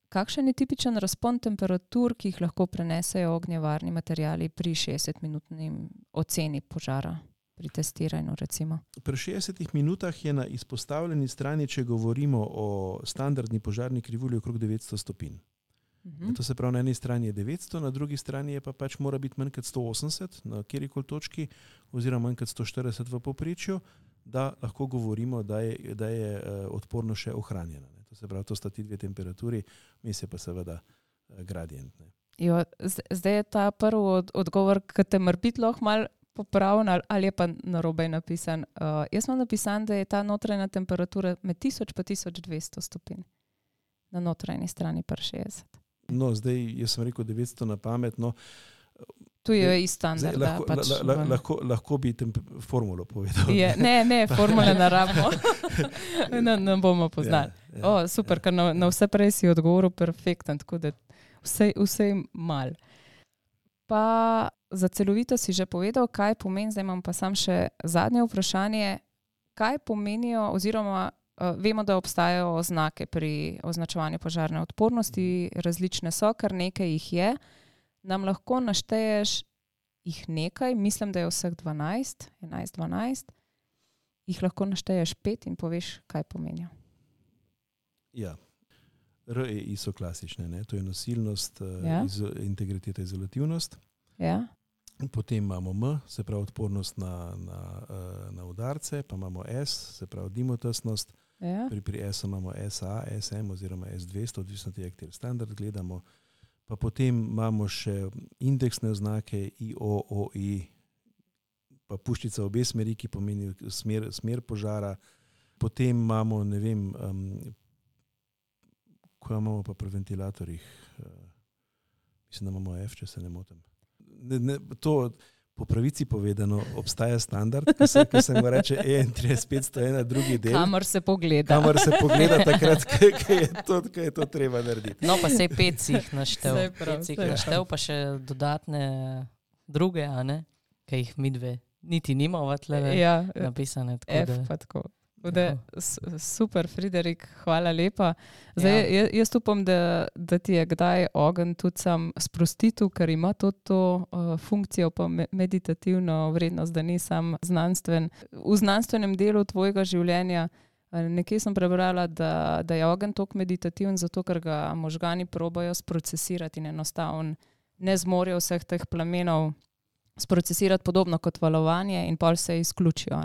Kakšen je tipičen razpon temperatur, ki jih lahko prenesejo ognjevarni materiali pri 60-minutni oceni požara, pri testiranju recimo? Pri 60 minutah je na izpostavljeni strani, če govorimo o standardni požarni krivulji, okrog 900 stopinj. To se pravi, na eni strani je 900, na drugi strani je pa pač mora biti manj kot 180 na kjerikoli točki oziroma manj kot 140 v povprečju, da lahko govorimo, da je odporno še ohranjena. To se pravi, to sta ti dve temperaturi, vmes je pa seveda gradient. Zdaj je ta prvi odgovor, ki te morbiti lahko malo popravljen ali je pa narobe napisan. Jaz imam napisan, da je ta notranja temperatura med 1000 pa 1200 stopinj. Na notranji strani pa 60. Zdaj, jaz sem rekel 900 na pamet, tu je i standard. Lahko bi formulo povedal. Ne, formule ne rabimo. Ne bomo poznali. Super, ker na vse prej si odgovoril perfekten, tako da vse mal. Pa za celovito si že povedal, kaj pomeni, zdaj imam pa sam še zadnje vprašanje, kaj pomenijo oziroma vemo, da obstajajo oznake pri označevanju požarne odpornosti, različne so, kar nekaj jih je. Nam lahko našteješ jih nekaj, mislim, da je vseh 11-12, jih lahko našteješ 5 in poveš, kaj pomenijo. Ja, REI so klasične, ne? To je nosilnost, integriteta, izolativnost. Ja. Potem imamo M, se pravi odpornost na udarce, pa imamo S, se pravi dimotesnost. Ja. Pri S imamo SA, SM oziroma S200, odvisno tega, kateri standard gledamo. Pa potem imamo še indeksne oznake IO, OI, pa puščica obe smeri, ki pomeni smer požara. Potem imamo, ne vem, ko imamo pa pri ventilatorjih, mislim, da imamo F, če se ne motim. To po pravici povedano obstaja standard, ki se mu reče EN30501, drugi del. Kamor se pogleda. Kamor se pogleda takrat, ko je to treba narediti. No, pa sej 5 si jih naštel, pa še dodatne druge, a ne? Kaj jih midve niti nimava tlele napisane. F pa tako. Super, Friderik, hvala lepa. Zdaj, jaz upam, da ti je kdaj ogenj tudi sam sprostitu, ker ima to funkcijo pa meditativno vrednost, da ni sam znanstven. V znanstvenem delu tvojega življenja nekje sem prebrala, da je ogenj toliko meditativen, zato ker ga možgani probajo sprocesirati in enostavno ne zmorejo vseh teh plamenov sprocesirati podobno kot valovanje in pol se izključijo.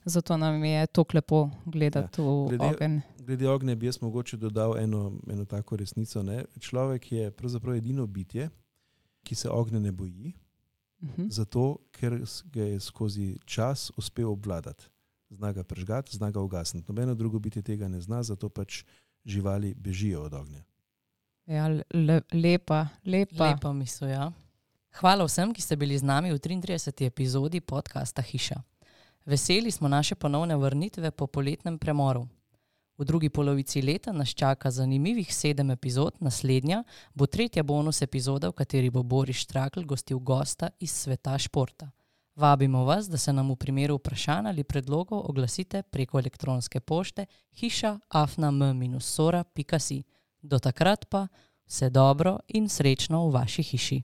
Zato nam je toliko lepo gledati v ogenj. Glede ognja bi jaz mogoče dodal eno tako resnico. Ne? Človek je pravzaprav edino bitje, ki se ognja ne boji, zato ker ga je skozi čas uspel obvladati. Zna ga prežgati, zna ga ugasniti. Nobeno drugo bitje tega ne zna, zato pač živali bežijo od ognja. Ja, lepa. Lepa misel, ja. Hvala vsem, ki ste bili z nami v 33. epizodi podcasta Hiša. Veseli smo naše ponovne vrnitve po poletnem premoru. V drugi polovici leta nas čaka zanimivih 7 epizod, naslednja bo 3. bonus epizoda, v kateri bo Boris Štrakl gostil gosta iz sveta športa. Vabimo vas, da se nam v primeru vprašanj ali predlogov oglasite preko elektronske pošte hiša@m-sora.si. Do takrat pa vse dobro in srečno v vaši hiši.